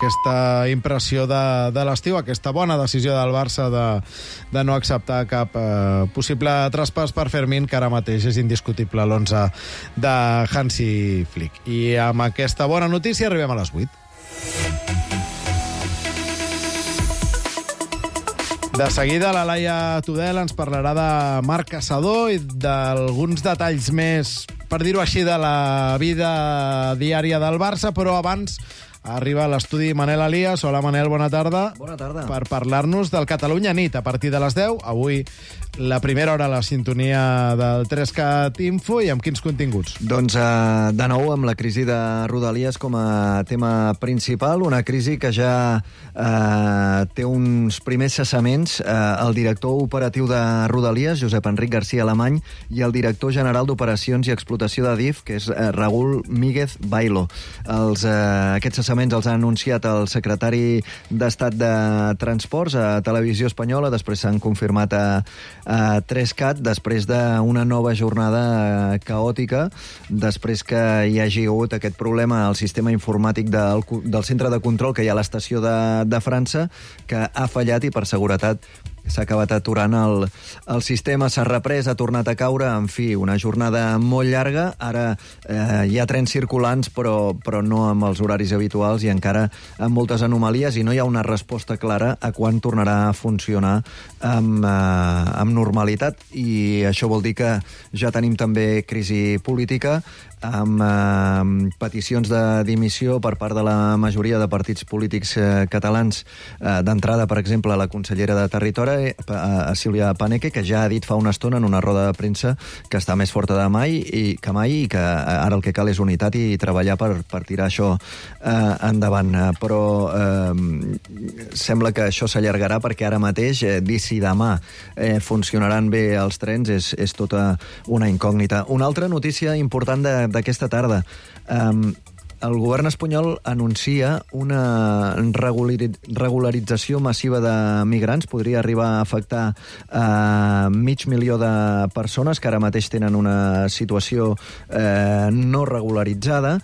aquesta impressió de l'estiu, aquesta bona decisió del Barça de no acceptar cap possible traspàs per Fermín, que ara mateix és indiscutible l'11 de Hansi Flick. I amb aquesta bona notícia arribem a les 8. De seguida, la Laia Tudel ens parlarà de Marc Caçador i d'alguns detalls més, per dir-ho així, de la vida diària del Barça, però abans arriba a l'estudi Manel Elias. Hola, Manel, bona tarda. Bona tarda. Per parlar-nos del Catalunya Nit a partir de les 10. Avui la primera hora a la sintonia del 3CAT Info, i amb quins continguts? Doncs de nou amb la crisi de Rodalies com a tema principal, una crisi que ja té uns primers cessaments. El director operatiu de Rodalies, Josep Enric García Alemany, i el director general d'Operacions i Explotació de DIF, que és Raúl Míguez Bailo. Aquests cessaments els ha anunciat el secretari d'Estat de Transports a Televisió Espanyola, després s'han confirmat a 3CAT, després d'una nova jornada caòtica, després que hi hagi hagut aquest problema al sistema informàtic del centre de control que hi ha a l'estació de França, que ha fallat i per seguretat s'ha acabat aturant el sistema, s'ha reprès, ha tornat a caure, en fi, una jornada molt llarga. Ara hi ha trens circulants, però no amb els horaris habituals i encara amb moltes anomalies, i no hi ha una resposta clara a quan tornarà a funcionar amb normalitat. I això vol dir que ja tenim també crisi política, amb peticions de dimissió per part de la majoria de partits polítics catalans. D'entrada, per exemple, la consellera de Territori, Sílvia Paneque, que ja ha dit fa una estona en una roda de premsa que està més forta que mai i que ara el que cal és unitat i treballar per tirar això endavant. Però sembla que això s'allargarà, perquè ara mateix dir si demà funcionaran bé els trens és tota una incògnita. Una altra notícia important d'aquesta tarda. El govern espanyol anuncia una regularització massiva de migrants. Podria arribar a afectar 500.000 de persones que ara mateix tenen una situació no regularitzada.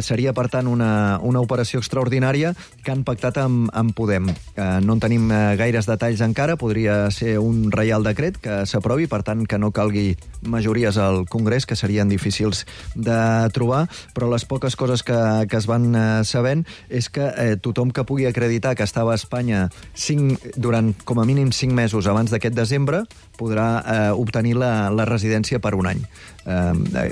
Seria, per tant, una operació extraordinària que han pactat amb Podem. No en tenim gaires detalls encara. Podria ser un reial decret que s'aprovi, per tant, que no calgui majories al Congrés, que serien difícils de trobar, però les poques coses que es van sabent és que tothom que pugui acreditar que estava a Espanya durant com a mínim 5 mesos abans d'aquest desembre podrà obtenir la residència per un any.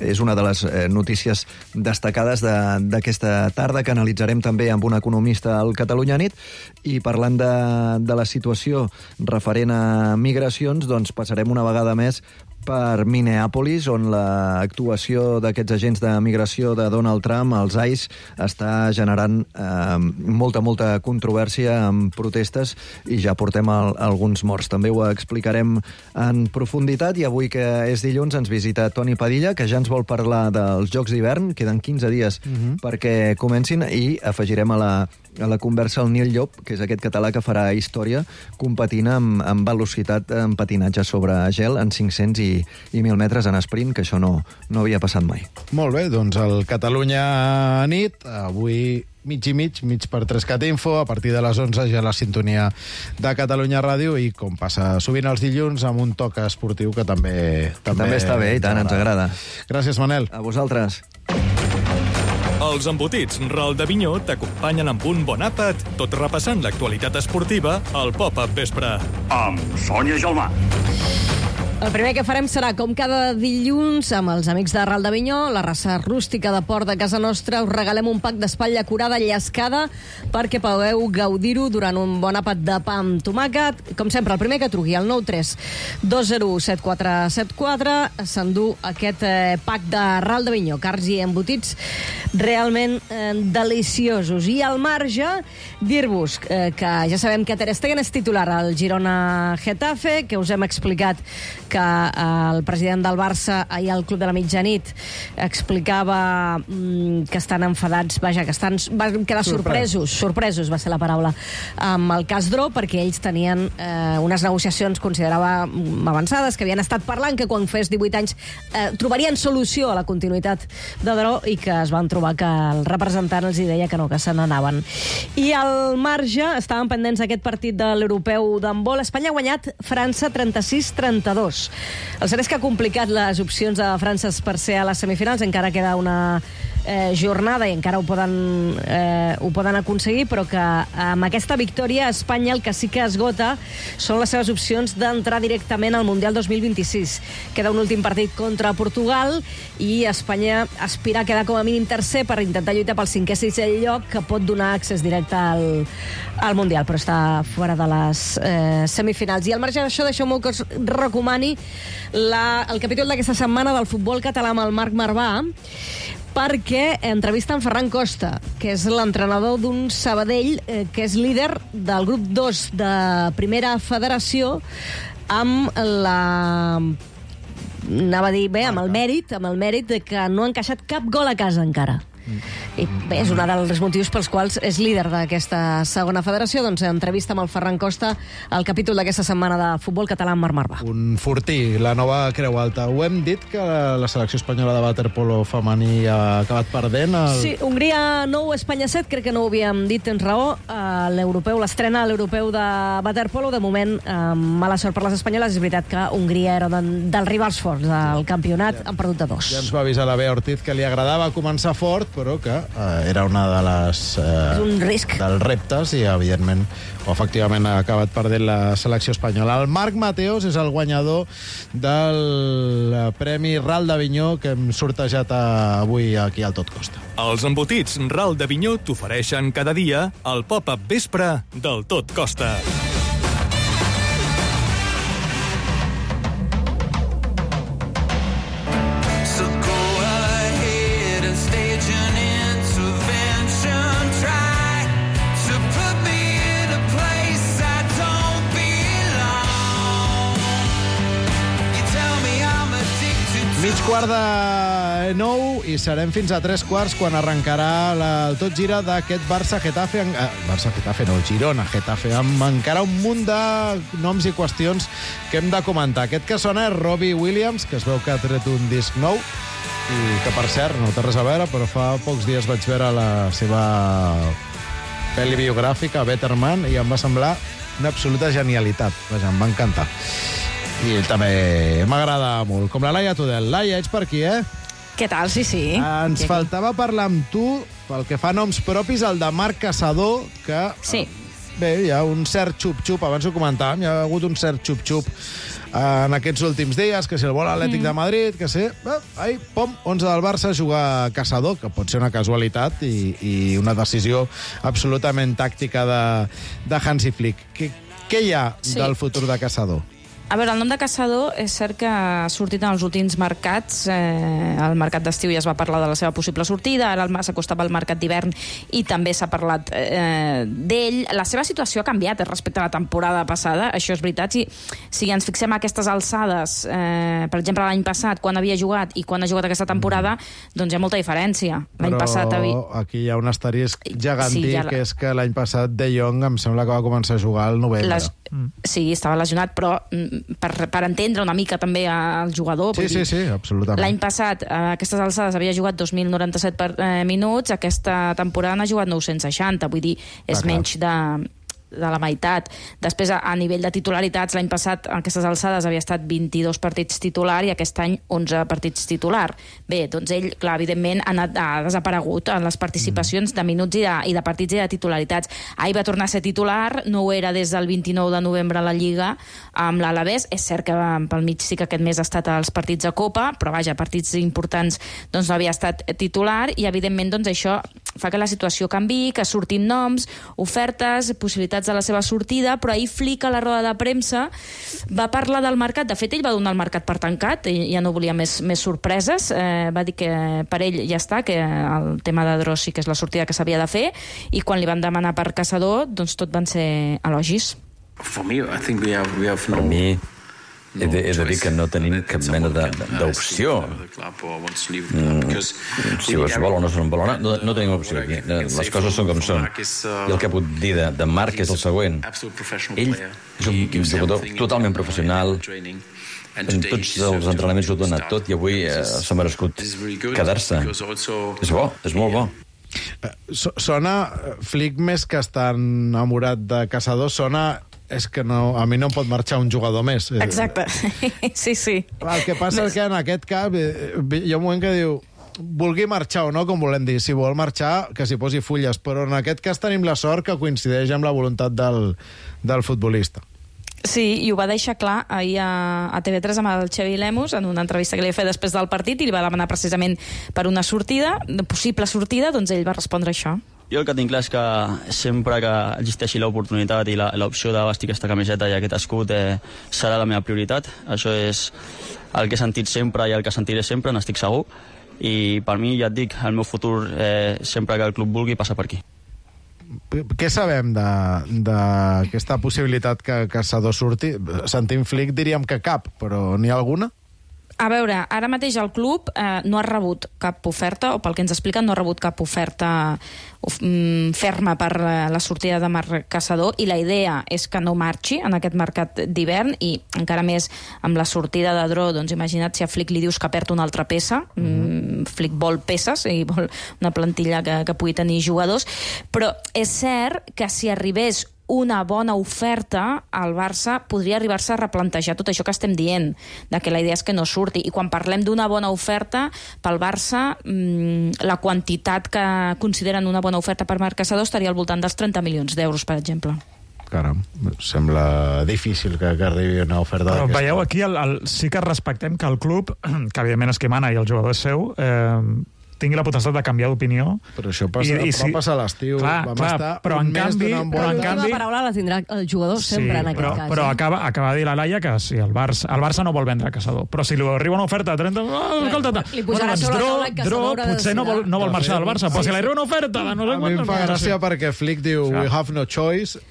És una de les notícies destacades d'aquesta tarda, que analitzarem també amb un economista al Catalunya Nit. I parlant de la situació referent a migracions, doncs passarem una vegada més per Minneapolis, on l'actuació d'aquests agents de migració de Donald Trump, els ICE, està generant molta controvèrsia amb protestes, i ja portem alguns morts. També ho explicarem en profunditat, i avui, que és dilluns, ens visita Toni Padilla, que ja ens vol parlar dels Jocs d'hivern. Queden 15 dies perquè comencin, i afegirem a la conversa el Nil Llop, que és aquest català que farà història competint amb velocitat en patinatge sobre gel en 500 i 1.000 metres en sprint, que això no havia passat mai. Molt bé, doncs el Catalunya Nit, avui mig i mig per 3CAT Info, a partir de les 11 ja la sintonia de Catalunya Ràdio, i com passa sovint els dilluns, amb un toc esportiu que també està bé, i tant, ens agrada. Gràcies, Manel. A vosaltres. Els embotits Ral de Vinyó t'acompanyen amb un bon àpat, tot repassant l'actualitat esportiva al Pop-Up Vespre. Amb Sònia Gelmà. El primer que farem serà, com cada dilluns, amb els amics de Ral de Vinyó, la raça rústica de port de casa nostra. Us regalem un pack d'espatlla curada llescada perquè pugueu gaudir-ho durant un bon àpat de pa amb tomàquet. Com sempre, el primer que truqui al 93 207474 s'endú aquest pack de Ral de Vinyó. Cars i embotits realment deliciosos. I al marge, dir-vos que ja sabem que Ter Stegen és titular al Girona Getafe, que us hem explicat que el president del Barça ahir al Club de la Mitjanit explicava que estan enfadats, vaja, que van quedar sorpresos va ser la paraula, amb el cas Dró, perquè ells tenien unes negociacions, considerava avançades, que havien estat parlant que quan fes 18 anys trobarien solució a la continuïtat de Dró i que es van trobar que el representant els deia que no, que se n'anaven. I al marge, estaven pendents d'aquest partit de l'europeu d'handbol. Espanya ha guanyat França 36-32. El cert és que ha complicat les opcions de França per ser a les semifinals. Encara queda una jornada i encara ho poden aconseguir, però que amb aquesta victòria a Espanya el que sí que esgota són les seves opcions d'entrar directament al Mundial 2026. Queda un últim partit contra Portugal i Espanya aspira a quedar com a mínim tercer per intentar lluitar pel 5è i 6è lloc, que pot donar accés directe al Mundial, però està fora de les semifinals. I al marge d'això, deixeu-me que us recomani el capítol d'aquesta setmana del futbol català amb el Marc Marvà, perquè entrevista en Ferran Costa, que és l'entrenador d'un Sabadell que és líder del grup 2 de Primera Federació, amb amb el mèrit de que no ha encaixat cap gol a casa encara. I bé, és un dels motius pels quals és líder d'aquesta segona federació. Doncs entrevista amb el Ferran Costa al capítol d'aquesta setmana de futbol català amb Marc Marvà. Un fortí, la nova Creu Alta. Ho hem dit que la selecció espanyola de waterpolo femení ha acabat perdent? Sí, Hongria 9, Espanya 7, crec que no ho havíem dit, tens raó. L'europeu, l'estrena a l'europeu de waterpolo, de moment mala sort per les espanyoles. És veritat que Hongria era dels rivals forts del campionat, han perdut de 2. Ja ens va avisar la Bea Ortiz que li agradava començar fort, però que era una de les... és un risc. Dels reptes i, evidentment, efectivament ha acabat perdent la selecció espanyola. El Marc Mateos és el guanyador del Premi Ral d'Avinyó que hem sortejat avui aquí al Tot Costa. Els embotits Ral d'Avinyó t'ofereixen cada dia el pop-up vespre del Tot Costa. Quart de 9 i serem fins a 3 quarts quan arrencarà el Tot Gira d'aquest Barça-Getafe. Barça-Getafe, no, Girona-Getafe, amb encara un munt de noms i qüestions que hem de comentar. Aquest que sona és Robbie Williams, que es veu que ha tret un disc nou i que, per cert, no té res a veure, però fa pocs dies vaig veure la seva pel·li biogràfica, Better Man, i em va semblar una absoluta genialitat. Vaja, em va encantar. I també m'agrada molt. Com la Laia Tudel. Laia, ets per aquí, eh? Què tal? Sí, sí. Ens faltava parlar amb tu, pel que fa noms propis, el de Marc Caçador, que... Sí. Bé, hi ha un cert xup-xup, abans ho comentàvem, hi ha hagut un cert xup-xup en aquests últims dies, que si el vol l'Atlètic de Madrid, que sí, ahí, pom, 11 del Barça jugar Caçador, que pot ser una casualitat i una decisió absolutament tàctica de Hansi Flick. Què hi ha del futur de Caçador? A veure, el nom de Caçador és cert que ha sortit en els últims mercats. Al mercat d'estiu ja es va parlar de la seva possible sortida, ara s'acostava al mercat d'hivern i també s'ha parlat d'ell. La seva situació ha canviat respecte a la temporada passada, això és veritat. Si ens fixem a aquestes alçades, per exemple, l'any passat, quan havia jugat i quan ha jugat aquesta temporada, doncs hi ha molta diferència. L'any passat aquí hi ha un asterisc gegantí, que és que l'any passat De Jong em sembla que va començar a jugar al novembre. Sí, estava lesionat, però per entendre una mica també el jugador. Sí, absolutament. L'any passat, a aquestes alçades, havia jugat 2.097 minuts, aquesta temporada n'ha jugat 960, vull dir, és menys de la meitat. Després, a nivell de titularitats, l'any passat, a aquestes alçades, havia estat 22 partits titular i aquest any 11 partits titular. Bé, doncs ell, clar, evidentment, ha desaparegut en les participacions de minuts i de partits i de titularitats. Ahir va tornar a ser titular, no ho era des del 29 de novembre a la Lliga amb l'Alavés. És cert que pel mig sí que aquest mes ha estat als partits de Copa, però vaja, partits importants doncs no havia estat titular i, evidentment, doncs això fa que la situació canvi, que surtin noms, ofertes, possibilitats de la seva sortida, però ahir Flick a la roda de premsa va parlar del mercat. De fet, ell va donar el mercat per tancat, ja no volia més sorpreses, va dir que per ell ja està, que el tema de Drós sí que és la sortida que s'havia de fer, i quan li van demanar per Caçador, doncs tot van ser elogis. For me, I think we have no... he de dir que no tenim cap mena d'opció. Si es vol o no se'n vol, no tenim opció aquí. Les coses són com són. I el que puc dir de Marc és el següent. Ell és un jugador totalment professional, en tots els entrenaments ho ha donat tot i avui s'ha merescut quedar-se. És bo, és molt bo. Sona, Flick, més que estar enamorat de Caçador, sona... És que no, a mi no em pot marxar un jugador més. Exacte, sí. El que passa és que en aquest cap hi ha un moment que diu vulgui marxar o no, com volem dir. Si vol marxar, que s'hi posi fulles. Però en aquest cas tenim la sort que coincideix amb la voluntat del futbolista. Sí, i ho va deixar clar ahir a TV3 amb el Xavi Lemus en una entrevista que li va fer després del partit i li va demanar precisament per una sortida, possible sortida, doncs ell va respondre això. Jo el que tinc clar és que sempre que existeixi l'oportunitat i l'opció de vestir aquesta camiseta i aquest escut serà la meva prioritat. Això és el que he sentit sempre i el que sentiré sempre, n'estic segur. I per mi, ja et dic, el meu futur, sempre que el club vulgui, passa per aquí. Què sabem d'aquesta possibilitat que Caçador surti? Sentim Flick, diríem que cap, però n'hi ha alguna? A veure, ara mateix el club no ha rebut cap oferta, o pel que ens expliquen, no ha rebut cap oferta ferma per la sortida de Marc Caçador, i la idea és que no marxi en aquest mercat d'hivern, i encara més amb la sortida de Dro, doncs imagina't si a Flick li dius que perd una altra peça. Flick vol peces i vol una plantilla que pugui tenir jugadors, però és cert que si arribés una bona oferta, el Barça podria arribar-se a replantejar tot això que estem dient, de que la idea és que no surti. I quan parlem d'una bona oferta, pel Barça, la quantitat que consideren una bona oferta per Marc Caçador estaria al voltant dels 30 milions d'euros, per exemple. Caram, sembla difícil que arribi una oferta d'aquesta. Però veieu, aquí sí que respectem que el club, que evidentment és qui mana i el jugador és seu, tingui la potestat de canviar d'opinió. Però això va passar a l'estiu. Vam estar un mes donant La paraula la tindrà el jugador sempre en aquest cas. Però acaba de dir la Laia que sí, el Barça no vol vendre Caçador. Però si li arriba una oferta de 30... Li posarà sobre la taula que Caçador potser no vol marxar del Barça, però si li arriba una oferta... A mi em fa gràcia perquè Flick diu we have no choice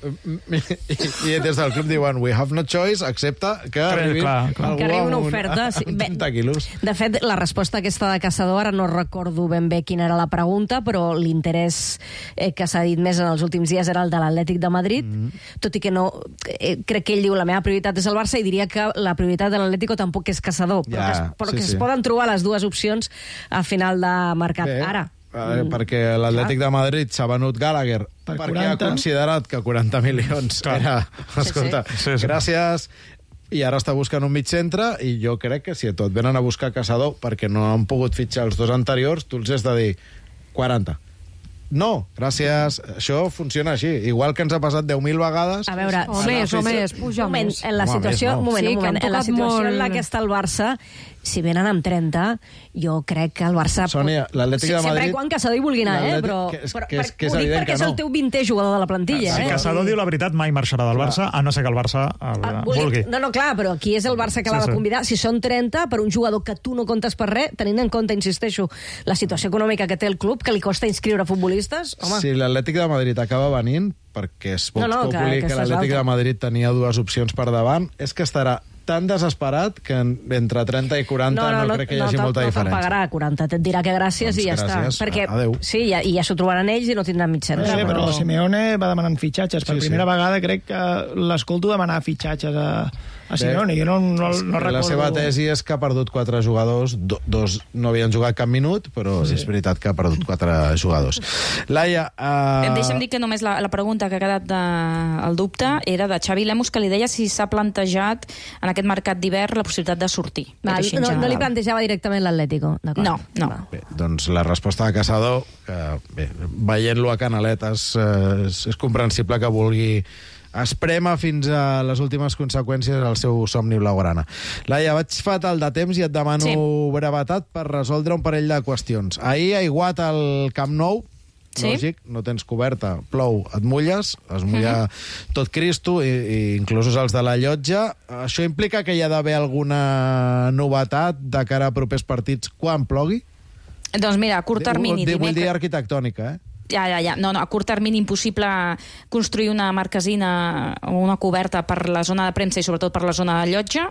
i des del club diuen we have no choice, excepte que arribi una oferta. 30 quilos. De fet, la resposta aquesta de Caçador, ara no recordo ben bé quina era la pregunta, però l'interès que s'ha dit més en els últims dies era el de l'Atlètic de Madrid, tot i que no... crec que ell diu la meva prioritat és el Barça i diria que la prioritat de l'Atlético tampoc és Caçador, però que es poden trobar les dues opcions a final de mercat. Ara, perquè l'Atlètic de Madrid s'ha venut Gallagher perquè ha considerat que 40 milions era... Escolta, gràcies... I ara està buscant un mig centre i jo crec que si a tot venen a buscar Caçador perquè no han pogut fitxar els dos anteriors, tu els has de dir 40. No, gràcies. Això funciona així. Igual que ens ha passat 10.000 vegades... A veure, o més, puja més. En la situació en la que està el Barça, si venen amb 30, jo crec que el Barça... Sònia, l'Atlètic de Madrid... Sempre quan Caçador hi vulgui anar, però que és ho dic evident perquè és el teu 20è jugador de la plantilla. Si Caçador diu la veritat, mai marxarà del Barça, a no ser que el Barça vulgui. No, clar, però qui és el Barça que l'ha de convidar? Si són 30, per un jugador que tu no comptes per res, tenint en compte, insisteixo, la situació econòmica que té el club, que li costa inscriure futbolistes, home... Si l'Atlètic de Madrid acaba venint, perquè és Vox Populi que l'Atlètic de Madrid tenia dues opcions per davant, és que estarà tan desesperat que entre 30 i 40 no crec que hi hagi molta diferència. No te'n pagarà 40, et dirà que gràcies i ja està. Perquè, sí, i ja s'ho trobaran ells i no tindran mig centre. Sí, però Simeone va demanant fitxatges. Per primera vegada crec que l'escolto demanar fitxatges a Simeone. Jo no recordo... La seva tesi és que ha perdut 4 jugadors, dos no havien jugat cap minut, però és veritat que ha perdut 4 jugadors. Laia... Deixa'm dir que només la pregunta que ha quedat el dubte era de Xavi Lemus, que li deia si s'ha plantejat en aquest mercat d'hivern la possibilitat de sortir. No li plantejava directament l'Atlético. No. Bé, doncs la resposta de Caçador, que veient-lo a Canaletes és comprensible que vulgui esprema fins a les últimes conseqüències al seu somni blaugrana. Laia, vaig fatal de temps i et demano brevetat per resoldre un parell de qüestions. Ahir ha aiguat al Camp Nou, lògic, no tens coberta, plou, et mulles, es mulla tot Cristo, i inclús els de la llotja. Això implica que hi ha d'haver alguna novetat de cara a propers partits quan plogui? Doncs mira, a curt termini... Vull dir arquitectònica, Ja. No, a curt termini impossible construir una marquesina o una coberta per la zona de premsa i sobretot per la zona de llotja.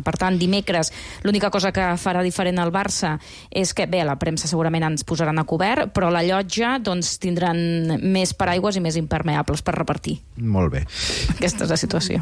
Per tant, dimecres l'única cosa que farà diferent el Barça és que, bé, la premsa segurament ens posaran a cobert, però la llotja doncs, tindran més paraigües i més impermeables per repartir. Molt bé. Aquesta és la situació.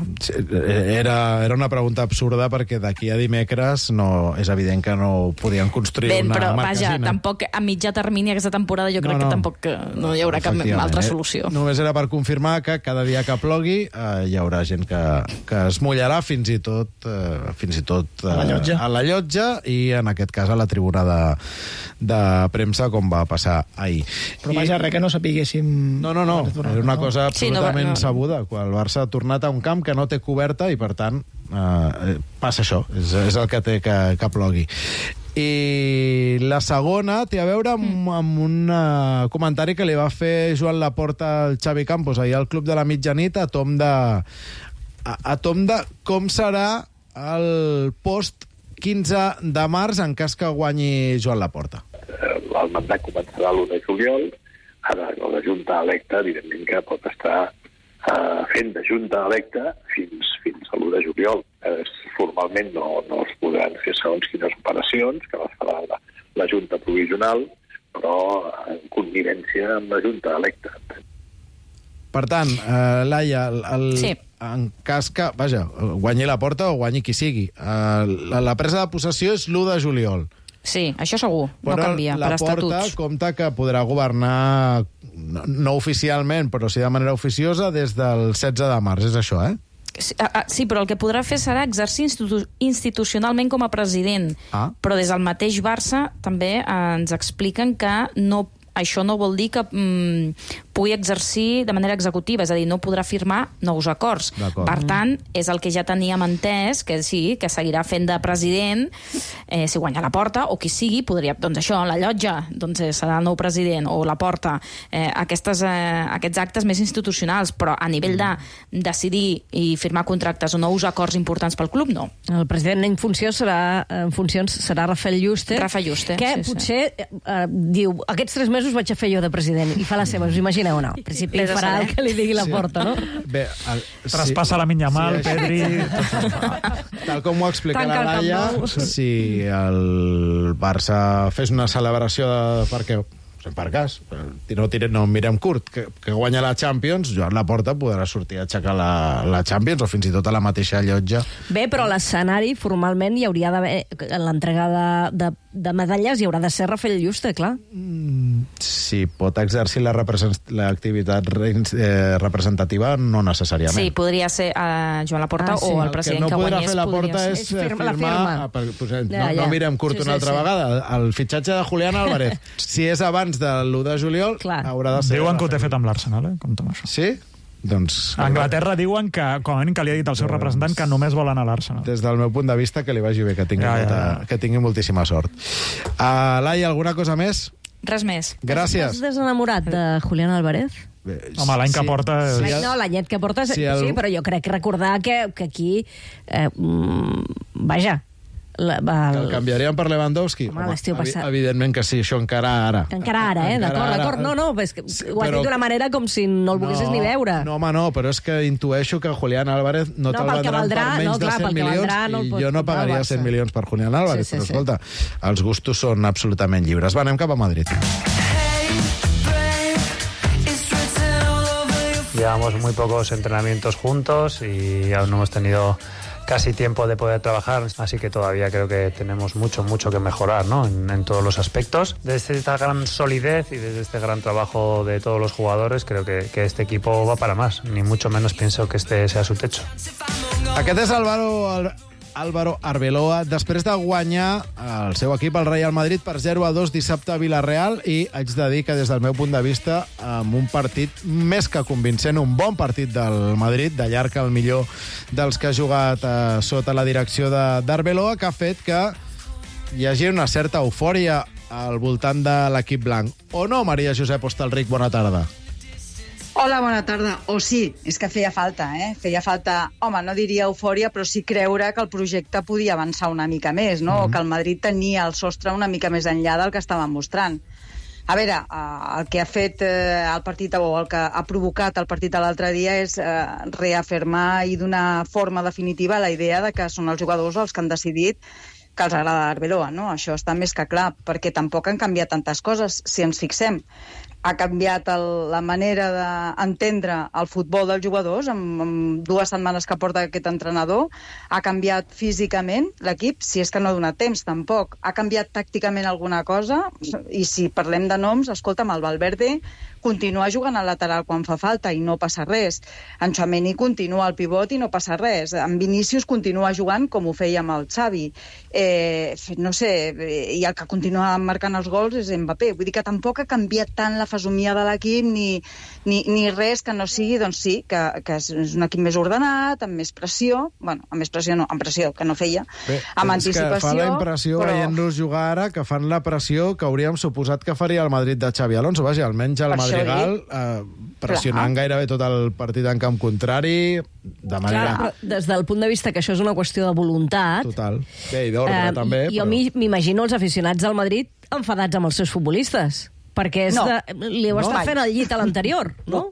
Era una pregunta absurda perquè d'aquí a dimecres és evident que no podien construir una però, marquesina. Vaja, tampoc a mitjà termini aquesta temporada jo crec que tampoc no hi haurà cap altra solució. Només era per confirmar que cada dia que plogui hi haurà gent que es mullarà fins i tot a la llotja i en aquest cas a la tribuna de premsa, com va passar ahir. Però vaja, res que no sapiguéssim... No, era una cosa absolutament sabuda. Quan el Barça ha tornat a un camp que no té coberta i, per tant, passa això. És el que té que plogui. I la segona té a veure amb un comentari que li va fer Joan Laporta al Xavi Campos ahir al Club de la Mitjanit a tom de com serà el post 15 de març en cas que guanyi Joan Laporta. El mandat començarà l'1 de juliol. Ara, la Junta electa, evidentment que pot estar fent de Junta electa fins a l'1 de juliol. Formalment no es podran fer segons quines operacions, que les farà la Junta provisional, però en connivència amb la Junta electa. Per tant, Laia, en cas que, guanyi Laporta o guanyi qui sigui, la presa de possessió és l'1 de juliol. Sí, això segur, no canvia, per estatuts. Però Laporta compta que podrà governar, no oficialment, però sí de manera oficiosa, des del 16 de març, és això, eh? Sí, però el que podrà fer serà exercir institucionalment com a president. Però des del mateix Barça també ens expliquen que això no vol dir que pugui exercir de manera executiva, és a dir, no podrà firmar nous acords. Per tant, és el que ja teníem entès, que sí, que seguirà fent de president, si guanya Laporta, o qui sigui, podria, doncs això, la llotja, doncs serà el nou president, o Laporta, aquests actes més institucionals, però a nivell de decidir i firmar contractes o nous acords importants pel club, no. El president en funcions serà Rafael Yuste, que potser diu, aquests 3 mesos vaig a fer jo de president, i fa la seva, us imagineu o no? En principi farà el que li digui Laporta, no? Bé, traspassa la Minyamal, Pedri... Tal com ho explica la Laia, si el Barça fes una celebració perquè per cas, no mirem curt, que guanya la Champions, Joan Laporta podrà sortir a aixecar la Champions o fins i tot a la mateixa llotja. Bé, però l'escenari formalment hi hauria d'haver l'entrega de medalles, hi haurà de ser Rafael Yuste, clar. Si pot exercir l'activitat representativa, no necessàriament. Sí, podria ser Joan Laporta o el president que guanyés. El que no podrà fer Laporta és firmar... No mirem curt una altra vegada. El fitxatge de Julián Álvarez, si és abans de l'1 de juliol, haurà de ser... Diuen que ho té fet amb l'Arsenal, compte amb això. Sí? Doncs... A Anglaterra diuen que, com a mínim, que li ha dit al seu representant que només vol anar a l'Arsenal. Des del meu punt de vista, que li vagi bé, que tingui moltíssima sort. Laia, alguna cosa més? Res més. Gràcies. Estàs desenamorat de Julián Álvarez? Home, l'any que porta... No, l'anyet que porta, sí, però jo crec recordar que aquí... Vaja... Que el canviarien per Lewandowski? Home, l'estiu passat. Evidentment que sí, això encara ara. Encara ara, d'acord. No, és que ho has dit d'una manera com si no el volguessis ni veure. No, home, no, però és que intueixo que Julián Álvarez no te'l vendran per menys de 100 milions i jo no pagaria 100 milions per Julián Álvarez, però escolta, els gustos són absolutament lliures. Va, anem cap a Madrid. Llevamos muy pocos entrenamientos juntos y aún no hemos tenido casi tiempo de poder trabajar, así que todavía creo que tenemos mucho que mejorar, ¿no? en todos los aspectos. Desde esta gran solidez y desde este gran trabajo de todos los jugadores, creo que este equipo va para más, ni mucho menos pienso que este sea su techo. Aquest és Álvaro Arbeloa, després de guanyar el seu equip, el Real Madrid, per 0-2 dissabte a Villarreal, i haig de dir que des del meu punt de vista, amb un partit més que convincent, un bon partit del Madrid, de llarg el millor dels que ha jugat sota la direcció d'Arbeloa, que ha fet que hi hagi una certa eufòria al voltant de l'equip blanc. O no, Maria Josep Hostalric, bona tarda. Hola, bona tarda. O sí, és que feia falta, Feia falta, home, no diria eufòria, però sí creure que el projecte podia avançar una mica més, no? O que el Madrid tenia el sostre una mica més enllà del que estava mostrant. A veure, el que ha fet el partit, o el que ha provocat el partit de l'altre dia és reafirmar i donar forma definitiva a la idea de que són els jugadors els que han decidit que els agrada Arbeloa, no? Això està més que clar, perquè tampoc han canviat tantes coses, si ens fixem. Ha canviat la manera d'entendre el futbol dels jugadors amb 2 setmanes que porta aquest entrenador. Ha canviat físicament l'equip, si és que no ha donat temps, tampoc. Ha canviat tàcticament alguna cosa, i si parlem de noms, escolta'm, el Valverde continua jugant al lateral quan fa falta i no passa res. En Tchouaméni continua al pivot i no passa res. En Vinícius continua jugant com ho feia amb el Xavi. No sé, i el que continua marcant els gols és Mbappé. Vull dir que tampoc ha canviat tant la fesomia de l'equip ni res que no sigui, doncs sí, que és un equip més ordenat, amb més pressió, bueno, amb més pressió no, amb pressió, que no feia, amb anticipació. És que fa la impressió, veient-los jugar ara, que fan la pressió que hauríem suposat que faria el Madrid de Xavi Alonso. Vaja, almenys el Madrigal pressionant gairebé tot el partit en camp contrari, de manera... Clar, però des del punt de vista que això és una qüestió de voluntat... Total. Bé, i d'ordre, també. Jo m'imagino els aficionats del Madrid enfadats amb els seus futbolistes, perquè li ho està fent al llit a l'anterior, no?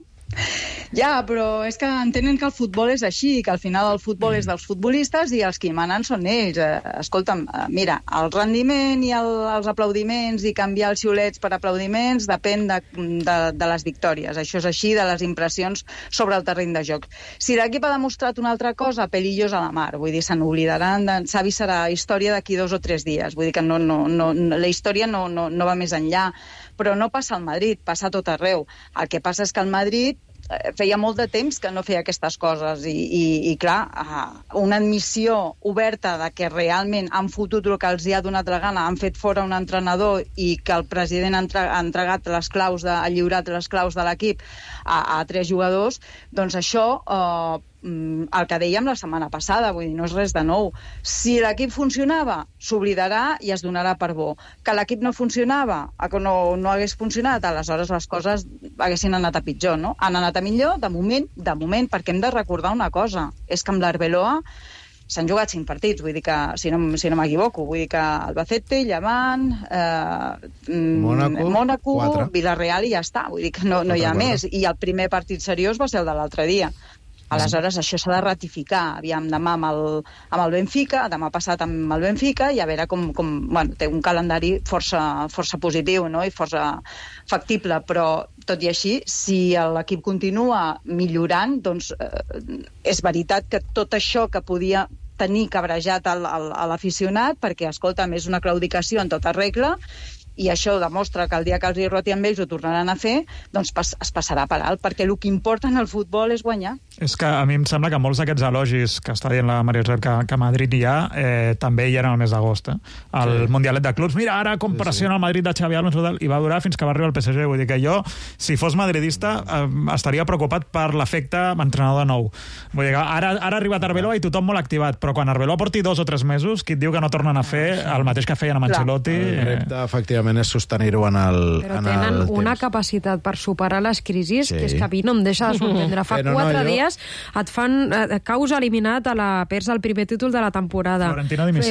Ja, però és que entenen que el futbol és així, que al final el futbol és dels futbolistes i els que hi manen són ells. Escolta'm, mira, el rendiment i els aplaudiments i canviar els xiulets per aplaudiments depèn de les victòries. Això és així, de les impressions sobre el terreny de joc. Si l'equip ha demostrat una altra cosa, pelillos a la mar. Vull dir, se n'oblidaran, Xavi serà història d'aquí 2 o 3 dies. Vull dir que la història no va més enllà. Però no passa al Madrid, passa a tot arreu. El que passa és que el Madrid feia molt de temps que no feia aquestes coses i clar, una admissió oberta de que realment han fotut el que els hi ha donat la gana, han fet fora un entrenador i que el president ha entregat les claus, ha lliurat les claus de l'equip a 3 jugadors, doncs això... el que dèiem la setmana passada, vull dir, no és res de nou. Si l'equip funcionava, s'oblidarà i es donarà per bo. Que l'equip no funcionava, que no hagués funcionat, aleshores les coses haguessin anat a pitjor, no? Han anat a millor, de moment, perquè hem de recordar una cosa, és que amb l'Arbeloa s'han jugat 5 partits, vull dir que, si no m'equivoco, vull dir que Albacete, Llevant, Mónaco, 4. Villarreal i ja està, vull dir que no hi ha més. I el primer partit seriós va ser el de l'altre dia. Aleshores, això s'ha de ratificar. Aviam, demà amb el Benfica, demà passat amb el Benfica, i a veure com bueno, té un calendari força positiu, no? I força factible, però tot i així, si l'equip continua millorant, doncs és veritat que tot això que podia tenir cabrejat a l'aficionat, perquè, escolta'm, és una claudicació en tota regla, i això demostra que el dia que els hi roti amb ells ho tornaran a fer, doncs es passarà per alt, perquè el que importa en el futbol és guanyar. És que a mi em sembla que molts d'aquests elogis que està dient la Maria Josep que a Madrid hi ha, també hi eren el mes d'agost. El Mundialet de Clubs, mira, ara com pressiona el Madrid de Xavi Alonso, i va durar fins que va arribar el PSG. Vull dir que jo, si fos madridista, estaria preocupat per l'efecte entrenador nou. Vull dir que ara ha arribat Arbeloa i tothom molt activat, però quan Arbeloa porti 2 o 3 mesos, qui et diu que no tornen a fer el mateix que feien amb Ancelotti? El repte, efectivament, és sostenir-ho en el temps. Però tenen una capacitat per superar les crisis que és que a mi no em deixa de sorprendre. Fa 4 dies et fan caus eliminat a la perds el primer títol de la temporada.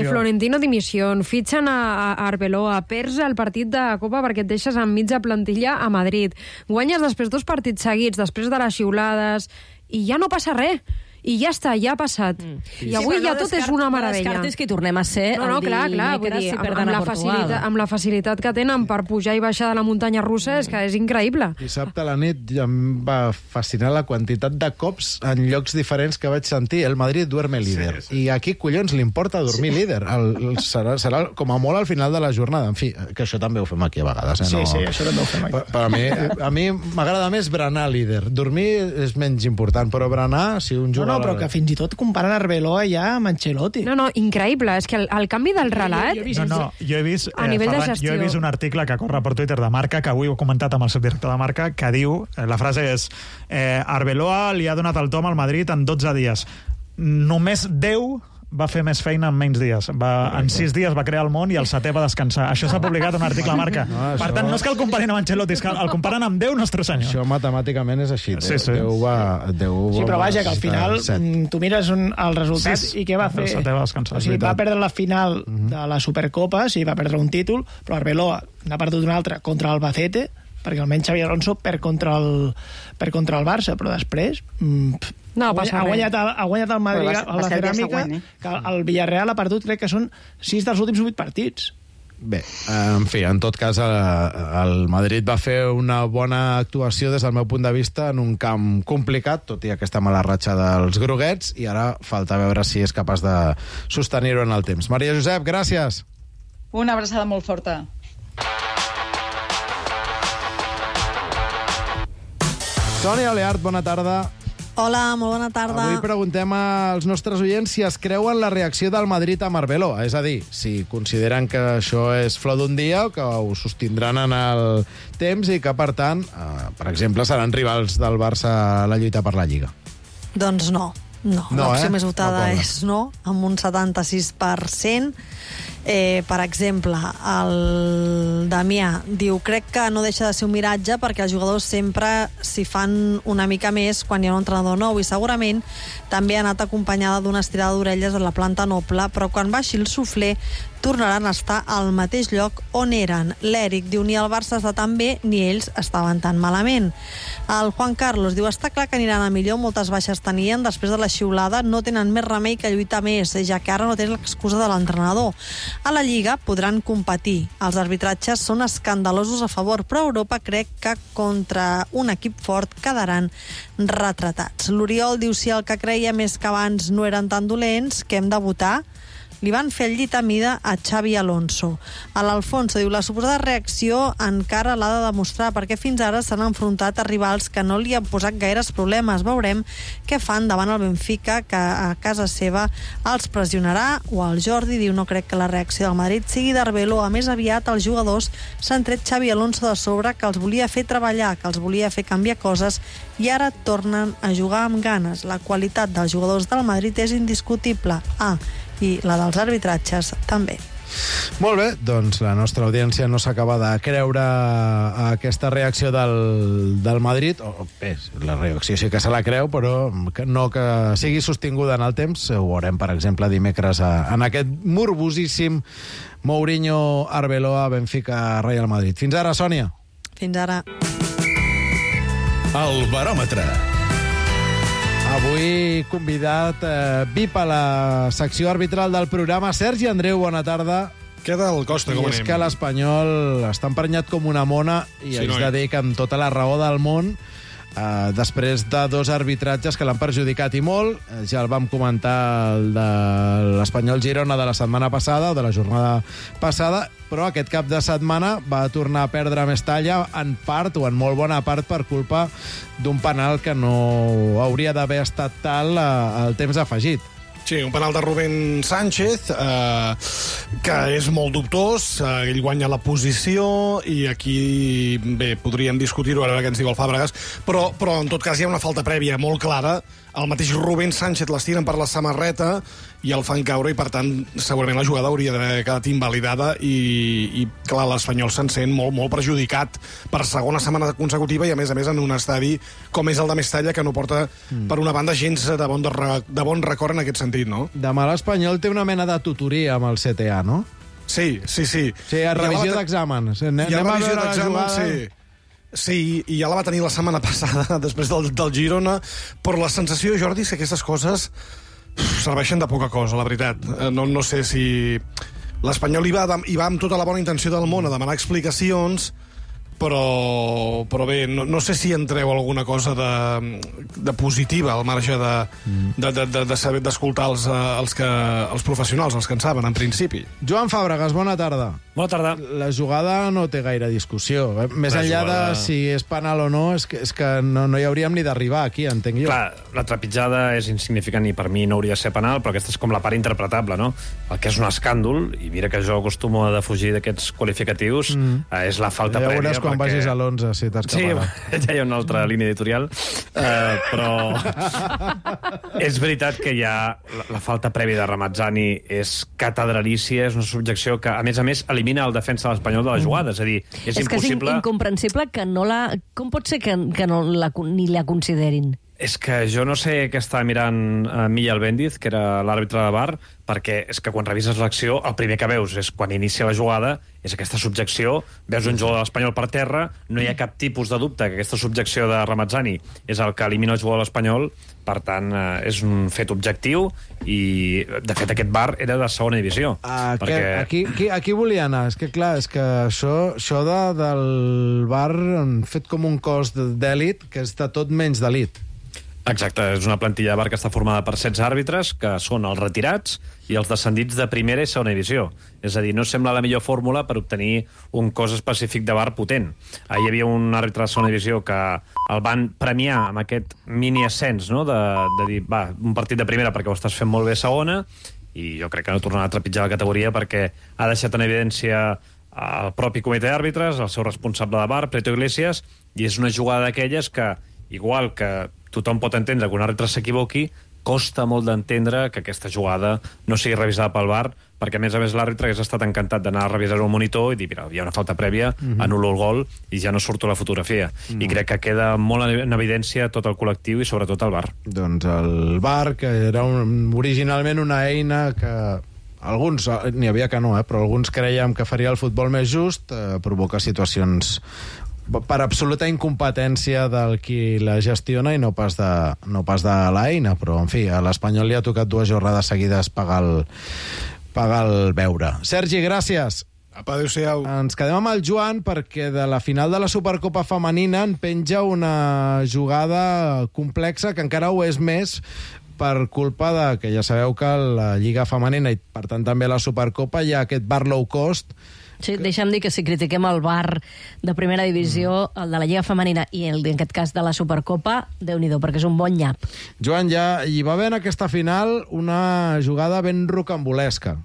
Florentino dimissió. Fitxen a Arbeloa. Perds el partit de Copa perquè et deixes en mitja plantilla a Madrid. Guanyes després 2 partits seguits, després de les xiulades, i ja no passa res. I ja està, ja ha passat. I avui ja tot és una meravella. No descartis que hi tornem a ser el dimecres si perden a Portugal. Amb la facilitat que tenen per pujar i baixar de la muntanya russa, és que és increïble. Dissabte a la nit em va fascinar la quantitat de cops en llocs diferents que vaig sentir. El Madrid duerme líder. I aquí, collons, li importa dormir líder. Serà com a molt al final de la jornada. En fi, que això també ho fem aquí a vegades. Sí, això també ho fem aquí. Per a mi m'agrada més berenar líder. Dormir és menys important, però berenar, si un jugador... No, però que fins i tot comparen Arbeloa ja amb Ancelotti. No, increïble. És que el canvi del relat... Jo he vist un article que corre per Twitter de Marca, que avui ho he comentat amb el subdirector de Marca, que diu, la frase és Arbeloa li ha donat el tom al Madrid en 12 dies. Només 10 va fer més feina en menys dies. En 6 dies va crear el món i el 7è va descansar. Això s'ha publicat en un article a Marca. Per tant, no és que el comparin amb Ancelotti, és que el comparen amb Déu Nostre Senyor. Això matemàticament és així. Déu va... Sí, però vaja, que al final tu mires el resultat i què va fer? El 7è va descansar. O sigui, va perdre la final de la Supercopa, sí, va perdre un títol, però Arbeloa n'ha perdut un altre contra el Albacete, perquè almenys Xabi Alonso perd contra el Barça, però després ha guanyat el Madrid a la Ceràmica, que el Villarreal ha perdut, crec que són 6 dels últims 8 partits. Bé, en fi, en tot cas el Madrid va fer una bona actuació des del meu punt de vista en un camp complicat, tot i aquesta mala ratxa dels groguets, i ara falta veure si és capaç de sostenir-ho en el temps. Maria Josep, gràcies. Una abraçada molt forta. Sònia Oleart, bona tarda. Hola, molt bona tarda. Avui preguntem als nostres oients si es creuen la reacció del Madrid a Arbeloa, és a dir, si consideren que això és flor d'un dia o que ho sostindran en el temps i que, per tant, per exemple, seran rivals del Barça a la lluita per la Lliga. Doncs no. L'opció més votada és no, amb un 76%. Per exemple, el Damià diu: crec que no deixa de ser un miratge perquè els jugadors sempre s'hi fan una mica més quan hi ha un entrenador nou, i segurament també ha anat acompanyada d'una estirada d'orelles a la planta noble, però quan baixi el suflé tornaran a estar al mateix lloc on eren. L'Eric diu: ni el Barça està tan bé ni ells estaven tan malament. El Juan Carlos diu: està clar que aniran a millor, moltes baixes tenien, després de la xiulada no tenen més remei que lluitar més, ja que ara no tenen l'excusa de l'entrenador. A la Lliga podran competir. Els arbitratges són escandalosos a favor, però a Europa crec que contra un equip fort quedaran retratats. L'Oriol diu: si el que creia més que abans no eren tan dolents, que hem de votar? Li van fer el llit a mida a Xabi Alonso. A l'Alfonso diu: la suposada reacció encara l'ha de demostrar, perquè fins ara s'han enfrontat a rivals que no li han posat gaires problemes. Veurem què fan davant el Benfica, que a casa seva els pressionarà. O el Jordi diu: no crec que la reacció del Madrid sigui d'Arbeloa, més aviat els jugadors s'han tret Xabi Alonso de sobre, que els volia fer treballar, que els volia fer canviar coses, i ara tornen a jugar amb ganes. La qualitat dels jugadors del Madrid és indiscutible. I la dels arbitratges també. Molt bé, doncs la nostra audiència no s'acaba de creure aquesta reacció del Madrid. Bé, la reacció sí que se la creu, però no que sigui sostinguda en el temps. Ho veurem, per exemple, dimecres en aquest morbosíssim Mourinho, Arbeloa, Benfica, Real Madrid. Fins ara, Sònia. Fins ara. El baròmetre. Avui convidat VIP a la secció arbitral del programa. Sergi Andreu, bona tarda. Què del Costa, com anem? I és que l'Espanyol està emprenyat com una mona i haig de dir que amb tota la raó del món, després de 2 arbitratges que l'han perjudicat i molt. Ja el vam comentar, el de l'Espanyol Girona de la setmana passada, o de la jornada passada, però aquest cap de setmana va tornar a perdre més talla, en part, o en molt bona part, per culpa d'un penal que no hauria d'haver estat tal al temps afegit. Sí, un penal de Rubén Sánchez, que és molt dubtós, ell guanya la posició, i aquí, bé, podríem discutir-ho, a veure què ens diu el Fàbregas, però en tot cas hi ha una falta prèvia molt clara. El mateix Rubén Sánchez l'estiren per la samarreta i el fan caure, i per tant segurament la jugada hauria d'haver quedat invalidada, i clar, l'Espanyol se'n sent molt perjudicat per segona setmana consecutiva, i a més en un estadi com és el de Mestalla, que no porta per una banda gens de bon record en aquest sentit, no? Demà l'Espanyol té una mena de tutoria amb el CTA, no? Sí. Sí, a revisió d'exàmens. Anem a veure la jugada. Sí, i ja la va tenir la setmana passada, després del Girona, però la sensació, Jordi, és que aquestes coses serveixen de poca cosa, la veritat. No sé si l'Espanyol hi va amb tota la bona intenció del món a demanar explicacions, però bé, no sé si en treu alguna cosa de positiva al marge de saber d'escoltar els professionals, els que en saben, en principi. Joan Fàbregas, bona tarda. Bona tarda. La jugada no té gaire discussió. Més enllà de si és penal o no, és que no hi hauríem ni d'arribar aquí, entenc jo. Clar, la trepitjada és insignificant i per mi no hauria de ser penal, però aquesta és com la part interpretable, no? El que és un escàndol, i mira que jo acostumo a defugir d'aquests qualificatius, és la falta prèvia. Ja veuràs quan vagis a l'11, si t'escaparà. Sí, ja hi ha una altra línia editorial, però és veritat que hi ha la falta prèvia de Ramazzani és catedralícia, és una subjecció que, a més, elimina el defensa de l'Espanyol de la jugada. És a dir, és impossible... És incomprensible que no la... Com pot ser que no ni la considerin? És que jo no sé què està mirant Miguel Bendiz, que era l'àrbitre de VAR, perquè és que quan revises l'acció, el primer que veus és quan inicia la jugada, és aquesta subjecció, veus un jugador de l'Espanyol per terra, no hi ha cap tipus de dubte que aquesta subjecció de Ramazzani és el que elimina el jugador de l'Espanyol, per tant, és un fet objectiu i, de fet, aquest VAR era de segona divisió. Aquí volia anar. És que, clar, això del VAR han fet com un cos d'èlit que és de tot menys d'elit. Exacte, és una plantilla de VAR que està formada per 16 àrbitres, que són els retirats i els descendits de primera i segona divisió. És a dir, no sembla la millor fórmula per obtenir un cos específic de VAR potent. Hi havia un àrbitre de segona divisió que el van premiar amb aquest mini-ascens, no? de dir, va, un partit de primera perquè ho estàs fent molt bé a segona, i jo crec que no tornarà a trepitjar la categoria perquè ha deixat en evidència el propi comitè d'àrbitres, el seu responsable de VAR, Prieto Iglesias, i és una jugada d'aquelles que, igual que tothom pot entendre que un àrbitre s'equivoqui, costa molt d'entendre que aquesta jugada no sigui revisada pel VAR, perquè a més l'àrbitre hagués estat encantat d'anar a revisar el monitor i dir, mira, hi ha una falta prèvia, anul·lo el gol i ja no surto la fotografia. I crec que queda molt en evidència tot el col·lectiu i sobretot el VAR. Doncs el VAR, que era originalment una eina que alguns, n'hi havia que no, però alguns creiem que faria el futbol més just, provoca situacions per absoluta incompetència del qui la gestiona i no pas de l'eina, però en fi, a l'Espanyol li ha tocat 2 jornades seguides pagar el beure. Sergi, gràcies. Apa, adéu-siau. Ens quedem amb el Joan perquè de la final de la Supercopa femenina en penja una jugada complexa que encara ho és més per culpa de que ja sabeu que la Lliga femenina i per tant també la Supercopa hi ha aquest VAR low cost. Sí, deixa'm dir que si critiquem el VAR de primera divisió, el de la Lliga femenina i en aquest cas de la Supercopa, Déu-n'hi-do, perquè és un bon nyap. Joan, ja hi va haver en aquesta final una jugada ben rocambolesca.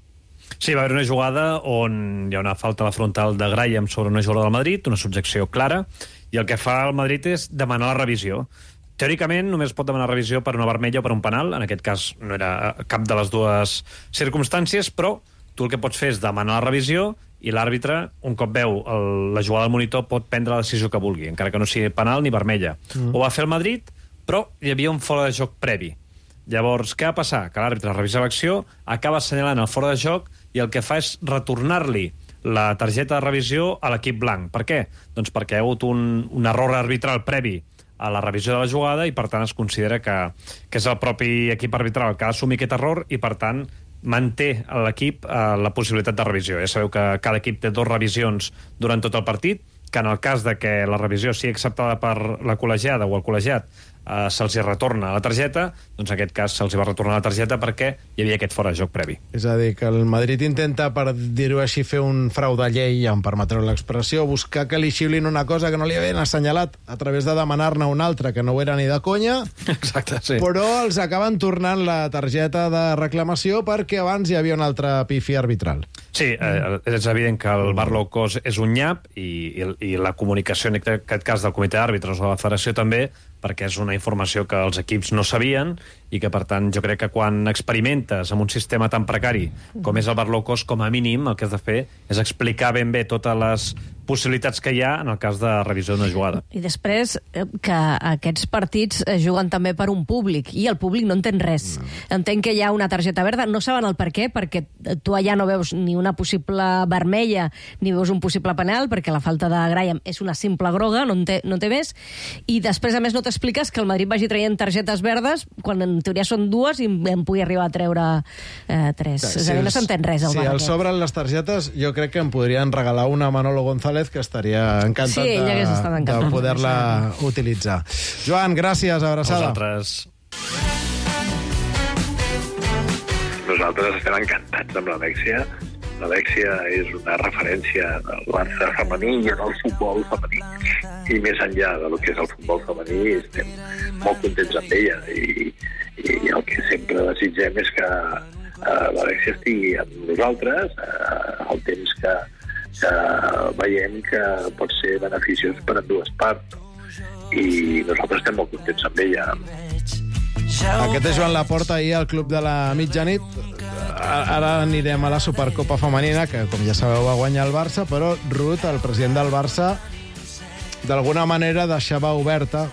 Sí, va haver una jugada on hi ha una falta a la frontal de Graham sobre una jugadora del Madrid, una subjecció clara, i el que fa el Madrid és demanar la revisió. Teòricament, només pot demanar revisió per una vermella o per un penal, en aquest cas no era cap de les dues circumstàncies, però tu el que pots fer és demanar la revisió i l'àrbitre, un cop veu la jugada del monitor, pot prendre la decisió que vulgui, encara que no sigui penal ni vermella. Ho va fer el Madrid, però hi havia un fora de joc previ. Llavors, què va passar? Que l'àrbitre revisa l'acció, acaba assenyalant el fora de joc i el que fa és retornar-li la targeta de revisió a l'equip blanc. Per què? Doncs perquè hi ha hagut un error arbitral previ a la revisió de la jugada i, per tant, es considera que és el propi equip arbitral que ha d'assumir aquest error i, per tant, manté a l'equip la possibilitat de revisió. Ja sabeu que cada equip té 2 revisions durant tot el partit, que en el cas de que la revisió sigui acceptada per la col·legiada o el col·legiat se'ls retorna la targeta, doncs en aquest cas se'ls va retornar la targeta perquè hi havia aquest fora de joc previ. És a dir, que el Madrid intenta, per dir-ho així, fer un frau de llei, ja em permetreu l'expressió, buscar que li xiulin una cosa que no li havien assenyalat a través de demanar-ne una altra, que no ho era ni de conya. Exacte, sí. Però els acaben tornant la targeta de reclamació perquè abans hi havia una altra pífia arbitral. Sí, és evident que el VAR low cost és un nyap i la comunicació, en aquest cas del comitè d'àrbitres o de la federació també, perquè és una informació que els equips no sabien i que, per tant, jo crec que quan experimentes amb un sistema tan precari com és el VAR low cost, com a mínim el que has de fer és explicar ben bé totes les possibilitats que hi ha en el cas de revisió d'una jugada. I després que aquests partits es juguen també per un públic i el públic no entén res. Entenc que hi ha una targeta verda, no saben el per què, perquè tu allà no veus ni una possible vermella ni veus un possible penal, perquè la falta de Graham és una simple groga, no té més, i després a més no t'expliques que el Madrid vagi traient targetes verdes quan en teoria són 2 i en pugui arribar a treure 3. És a dir, no s'entén res. Si els sobren les targetes, jo crec que em podrien regalar una a Manolo González, que estaria encantat de poder-la utilitzar. Joan, gràcies, abraçada. Nosaltres estem encantats amb l'Alexia. l'Alexia és una referència del Barça femení i en el futbol femení. I més enllà del que és el futbol femení, estem molt contents amb ella. I el que sempre desitgem és que l'Alexia estigui amb nosaltres al temps que veiem que pot ser beneficiós per a dues parts. I nosaltres estem molt contents amb ella. Aquest és Joan Laporta ahir al Club de la Mitjanit. Ara anirem a la Supercopa Femenina, que, com ja sabeu, va guanyar el Barça, però Ruth, el president del Barça, d'alguna manera deixava oberta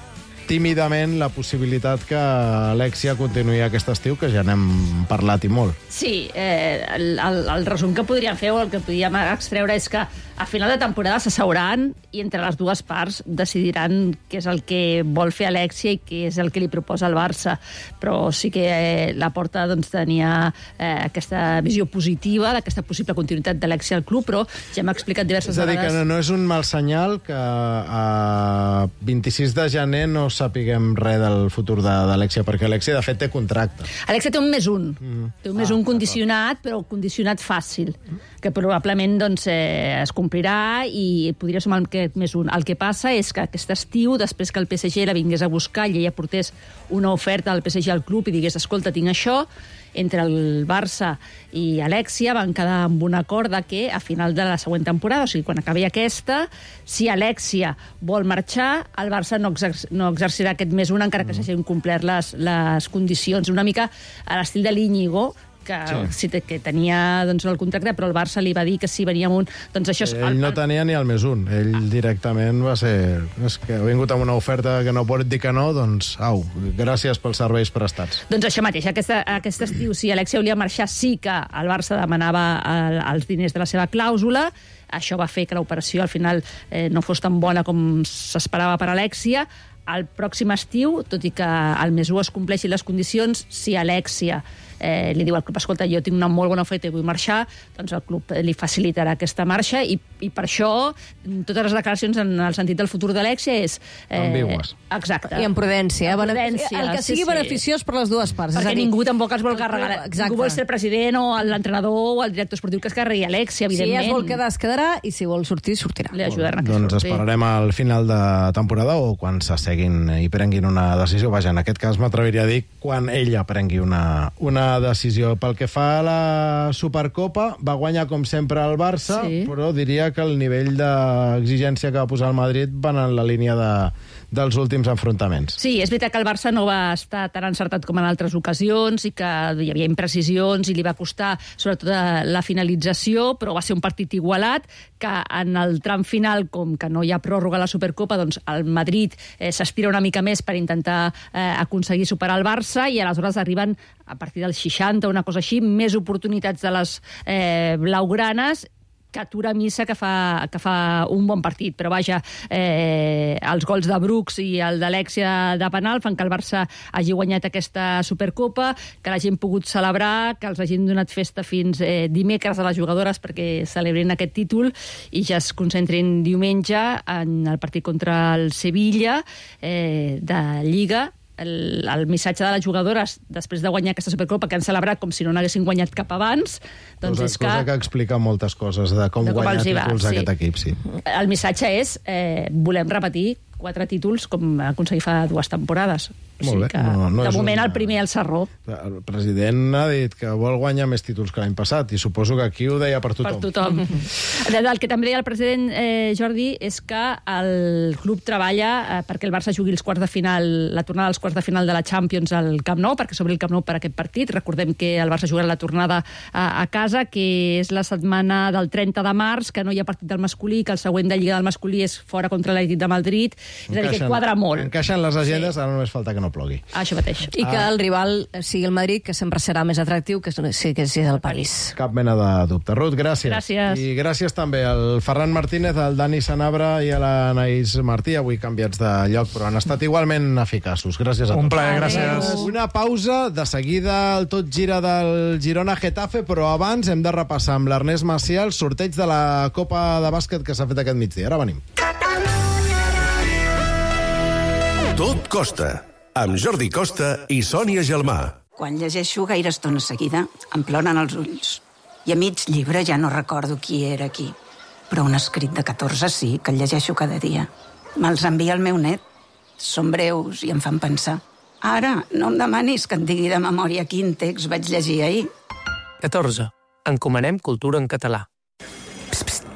tímidament la possibilitat que Alexia continuï aquest estiu, que ja n'hem parlat i molt. Sí, el resum que podríem fer o el que podríem extreure és que a final de temporada s'asseuran i entre les dues parts decidiran què és el que vol fer Alexia i què és el que li proposa el Barça. Però sí que Laporta doncs, tenia aquesta visió positiva d'aquesta possible continuïtat d'Alexia al club, però ja m'ha explicat diverses vegades... És a dir, que no és un mal senyal que a 26 de gener no sapiguem res del futur d'Alexia, perquè Alexia, de fet, té contracte. Alexia té un +1. Té un +1 condicionat, però condicionat fàcil, que probablement doncs, es complirà i podria sumar aquest +1. El que passa és que aquest estiu, després que el PSG la vingués a buscar i ella portés una oferta al PSG al club i digués, escolta, tinc això, entre el Barça i Alexia van quedar amb un acord de que a final de la següent temporada, o sigui, quan acabi aquesta, si Alexia vol marxar, el Barça no exercirà aquest +1 encara que s'hagin complert les condicions. Una mica a l'estil de l'Íñigo, que tenia doncs, el contracte, però el Barça li va dir que si venia amb un... Doncs això ell no tenia ni el +1. Ell directament va ser... És que ha vingut amb una oferta que no pot dir que no, doncs, au, gràcies pels serveis prestats. Doncs això mateix, aquest estiu, si Alexia volia marxar, sí que el Barça demanava els diners de la seva clàusula. Això va fer que l'operació al final no fos tan bona com s'esperava per Alexia. Al pròxim estiu, tot i que el +1 es compleixi les condicions, si Alexia li diu al club, escolta, jo tinc una molt bona oferta i vull marxar, doncs el club li facilitarà aquesta marxa i per això totes les declaracions en el sentit del futur d'Alexia és... ambigües. Exacte. I amb prudència. Prudència, el que sigui beneficiós per les dues parts. Perquè ningú tampoc es vol carregar. Ningú vol ser el president o l'entrenador o el director esportiu que es carregui Alexia, evidentment. Si es vol quedar, es quedarà, i si vol sortir, sortirà. Li ajudaran a que doncs esperarem al final de temporada o quan s'asseguin i prenguin una decisió. Vaja, en aquest cas m'atreviria a dir quan ella prengui una decisió. Pel que fa a la Supercopa, va guanyar com sempre el Barça, però diria que el nivell d'exigència que va posar el Madrid van en la línia dels últims enfrontaments. Sí, és veritat que el Barça no va estar tan encertat com en altres ocasions i que hi havia imprecisions i li va costar sobretot la finalització, però va ser un partit igualat que en el tram final, com que no hi ha pròrroga a la Supercopa, doncs el Madrid s'aspira una mica més per intentar aconseguir superar el Barça i aleshores arriben a partir dels 60, una cosa així, més oportunitats de les blaugranes que atura Missa, que fa un bon partit. Però vaja, els gols de Brooks i el d'Alexia de penal fan que el Barça hagi guanyat aquesta Supercopa, que l'hagin pogut celebrar, que els hagin donat festa fins dimecres a les jugadores perquè celebrin aquest títol i ja es concentrin diumenge en el partit contra el Sevilla de Lliga. El missatge de les jugadores després de guanyar aquesta Supercopa, que han celebrat com si no n'haguessin guanyat cap abans, doncs és cosa que explica moltes coses de com guanyar títols aquest equip, sí. El missatge és volem repetir 4 títols com aconseguir fa 2 temporades. Molt bé. Que, de moment el primer al Sarró. El president ha dit que vol guanyar més títols que l'any passat i suposo que aquí ho deia per tothom. Per tothom. El que també deia el president Jordi és que el club treballa perquè el Barça jugui els quarts de final, la tornada als quarts de final de la Champions al Camp Nou, perquè s'obri el Camp Nou per aquest partit. Recordem que el Barça jugarà la tornada a casa, que és la setmana del 30 de març, que no hi ha partit del masculí, que el següent de Lliga del masculí és fora contra l'Atlètic de Madrid. És a dir, que quadra molt. Encaixen les agendes, ara només falta que no plogui. Això mateix. I que el rival sigui el Madrid, que sempre serà més atractiu que si és el París. Cap mena de dubte. Ruth, gràcies. Gràcies. I gràcies també al Ferran Martínez, al Dani Sanabra i a l'Anaïs Martí, avui canviats de lloc, però han estat igualment eficaços. Gràcies a tots. Un plaer, gràcies. Una pausa, de seguida el tot gira del Girona-Getafe, però abans hem de repassar amb l'Ernest Macià el sorteig de la Copa de Bàsquet que s'ha fet aquest migdia. Ara venim. Tot costa, amb Jordi Costa i Sònia Gelmà. Quan llegeixo gaire estona seguida, em ploren els ulls. I a mig llibre ja no recordo qui era qui. Però un escrit de 14 sí, que el llegeixo cada dia. Me'ls envia el meu net. Són breus i em fan pensar. Ara, no em demanis que et digui de memòria quin text vaig llegir ahir. 14. Encomanem cultura en català.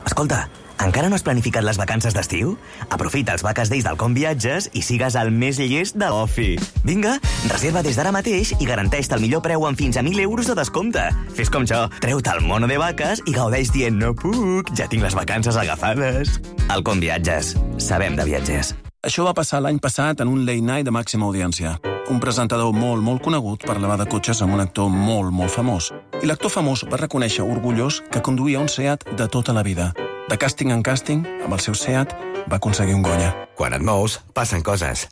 Escolta, encara no has planificat les vacances d'estiu? Aprofita els Vaques Days del Com Viatges i sigues el més llest de l'ofi. Vinga, reserva des d'ara mateix i garanteix-te el millor preu amb fins a 1.000 euros de descompte. Fes com jo, treu-te el mono de vaques i gaudeix dient no puc, ja tinc les vacances agafades. El Com Viatges. Sabem de viatgers. Això va passar l'any passat en un late night de màxima audiència. Un presentador molt conegut parlava de cotxes amb un actor molt famós. I l'actor famós va reconèixer orgullós que conduïa un Seat de tota la vida. De càsting en càsting, amb el seu Seat, va aconseguir un Goya. Quan et mous, passen coses.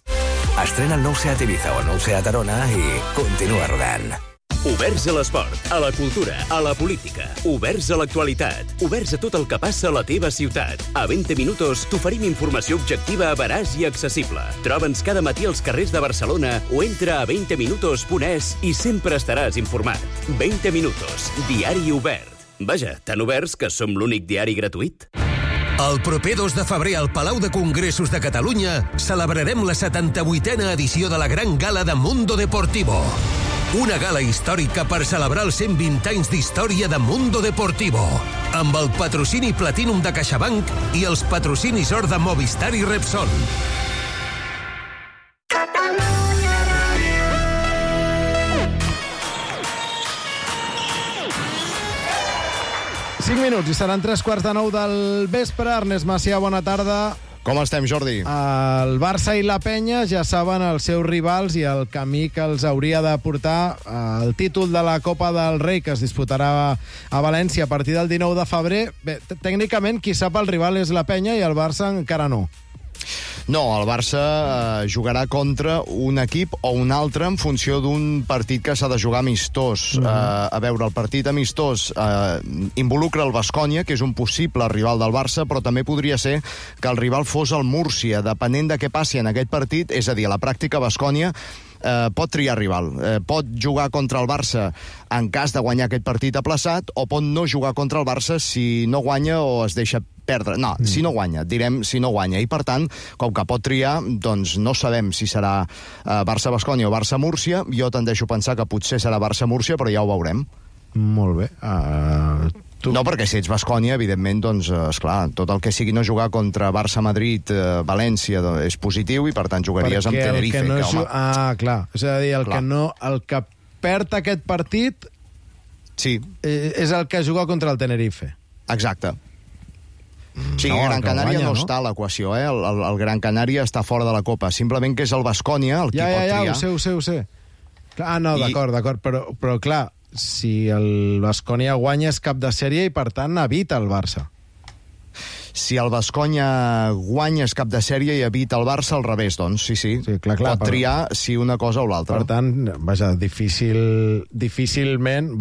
Estrena el nou Seat Ibiza o el nou Seat Arona i continua rodant. Oberts a l'esport, a la cultura, a la política. Oberts a l'actualitat. Oberts a tot el que passa a la teva ciutat. A 20 minuts t'oferim informació objectiva, veraç i accessible. Troba'ns cada matí als carrers de Barcelona o entra a 20minutos.es i sempre estaràs informat. 20 minutos, diari obert. Vaja, tan oberts que som l'únic diari gratuït. El proper 2 de febrer al Palau de Congressos de Catalunya celebrarem la 78a edició de la Gran Gala de Mundo Deportivo. Una gala històrica per celebrar els 120 anys d'història de Mundo Deportivo, amb el patrocini Platinum de CaixaBank i els patrocinis Or de Movistar i Repsol. Cinc minuts i seran 3:45 del vespre. Ernest Macià, bona tarda. Com estem, Jordi? El Barça i la Penya ja saben els seus rivals i el camí que els hauria de portar el títol de la Copa del Rei, que es disputarà a València a partir del 19 de febrer. Bé, tècnicament, qui sap el rival és la Penya i el Barça encara no. No, el Barça jugarà contra un equip o un altre en funció d'un partit que s'ha de jugar amistós. A veure, el partit amistós involucra el Baskonia, que és un possible rival del Barça, però també podria ser que el rival fos el Múrcia, depenent de què passi en aquest partit. És a dir, a la pràctica, Baskonia pot triar rival. Pot jugar contra el Barça en cas de guanyar aquest partit aplaçat, o pot no jugar contra el Barça si no guanya o es deixa perdre. No, si no guanya, direm si no guanya. I, per tant, com que pot triar, doncs no sabem si serà Barça-Baskonia o Barça-Múrcia. Jo tendeixo a pensar que potser serà Barça-Múrcia, però ja ho veurem. Molt bé. No, perquè si ets Baskonia, evidentment, doncs, esclar, tot el que sigui no jugar contra Barça-Madrid, València, és positiu, i per tant jugaries amb Tenerife. Clar. És a dir, el que perd aquest partit és el que juga contra el Tenerife. Exacte. Sí, Gran Canària no està a l'equació, eh? El Gran Canària està fora de la Copa. Simplement que és el Baskonia el qui pot triar. Ho sé. No, d'acord, però clar, si el Baskonia guanya és cap de sèrie i, per tant, evita el Barça. Si el Baskonia guanya és cap de sèrie i evita el Barça, al revés, doncs, sí. Clar, pot triar si una cosa o l'altra. Per tant, vaja, difícilment,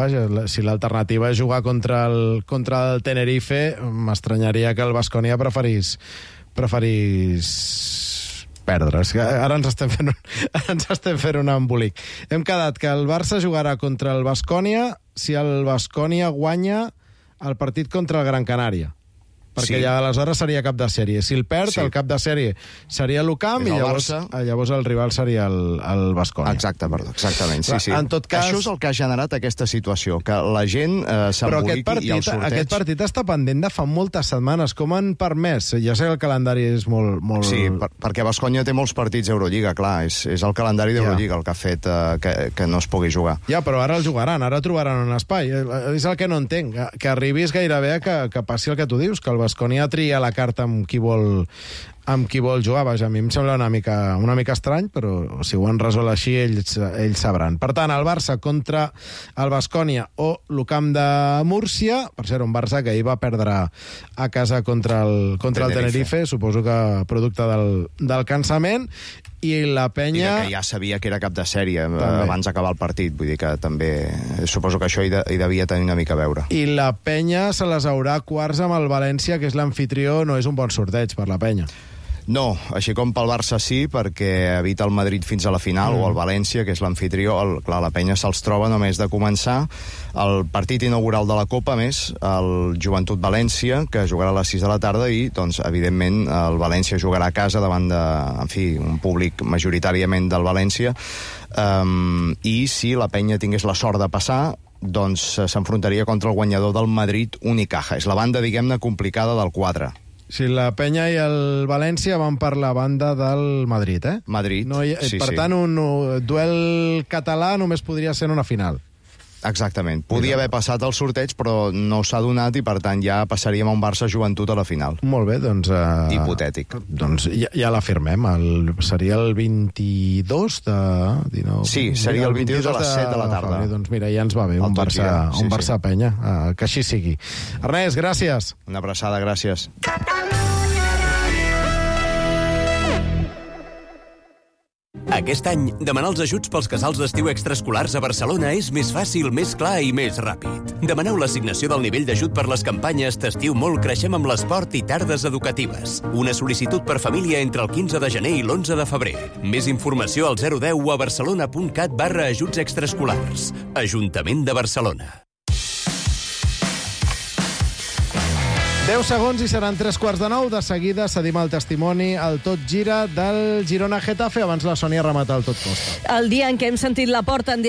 si l'alternativa és jugar contra el Tenerife, m'estranyaria que el Baskonia preferís perdre. Ara ens estem fent un embolic. Hem quedat que el Barça jugarà contra el Baskonia si el Baskonia guanya el partit contra el Gran Canària. Perquè ja aleshores seria cap de sèrie. Si el perd, el cap de sèrie seria l'UCAM i llavors el rival seria el Baskonia. Exactament, sí. En tot cas, això és el que ha generat aquesta situació, que la gent s'emboliqui i el sorteig... Però aquest partit està pendent de fa moltes setmanes. Com han permès? Ja sé que el calendari és molt... Sí, perquè Baskonia té molts partits d'Eurolliga, clar. És el calendari d'Eurolliga el que ha fet que no es pugui jugar. Ja, però ara el jugaran, ara trobaran un espai. És el que no entenc, que arribis gairebé que passi el que tu dius, que el Baskonia tria la carta amb qui vol jugar. Vaja, a mi em sembla una mica estrany, però si ho han resolt així, ells sabran. Per tant, el Barça contra el Baskonia o l'UCAM de Múrcia, per ser un Barça que ahir va perdre a casa contra el Tenerife, suposo que producte del cansament, i la Penya... I que ja sabia que era cap de sèrie abans d'acabar el partit, vull dir que també suposo que això hi devia tenir una mica a veure. I la Penya se les haurà quarts amb el València, que és l'amfitrió. No és un bon sorteig per la Penya. No, així com pel Barça sí, perquè evita el Madrid fins a la final, o el València, que és l'anfitrió. Clar, la penya se'ls troba només de començar. El partit inaugural de la Copa, més, el Joventut València, que jugarà a les 6 de la tarda, i, doncs, evidentment, el València jugarà a casa davant de, en fi, un públic majoritàriament del València. I si la penya tingués la sort de passar, doncs s'enfrontaria contra el guanyador del Madrid Unicaja. És la banda, diguem-ne, complicada del quadre. Sí, la Penya i el València van per la banda del Madrid, eh? Madrid, no per tant, un duel català només podria ser en una final. Exactament. Podia haver passat el sorteig, però no s'ha donat i, per tant, ja passaríem a un Barça-Joventut a la final. Molt bé, doncs... Hipotètic. Doncs ja la firmem. Seria el 22 de... 19, sí, seria el 22 a les 7 de la tarda. Doncs mira, ja ens va bé, un Barça-Penya. Que així sigui. Ernest, gràcies. Una abraçada, gràcies. Aquest any, demanar els ajuts pels casals d'estiu extraescolars a Barcelona és més fàcil, més clar i més ràpid. Demaneu l'assignació del nivell d'ajut per les campanyes T'estiu molt, creixem amb l'esport i tardes educatives. Una sol·licitud per família entre el 15 de gener i l'11 de febrer. Més informació al 010 o a barcelona.cat/ajuts extraescolars. Ajuntament de Barcelona. 10 segons i seran 9:15. De seguida cedim el testimoni al Tot Gira del Girona-Getafe. Abans la Sònia remata el Tot Costa. El dia en què hem sentit la porta en directe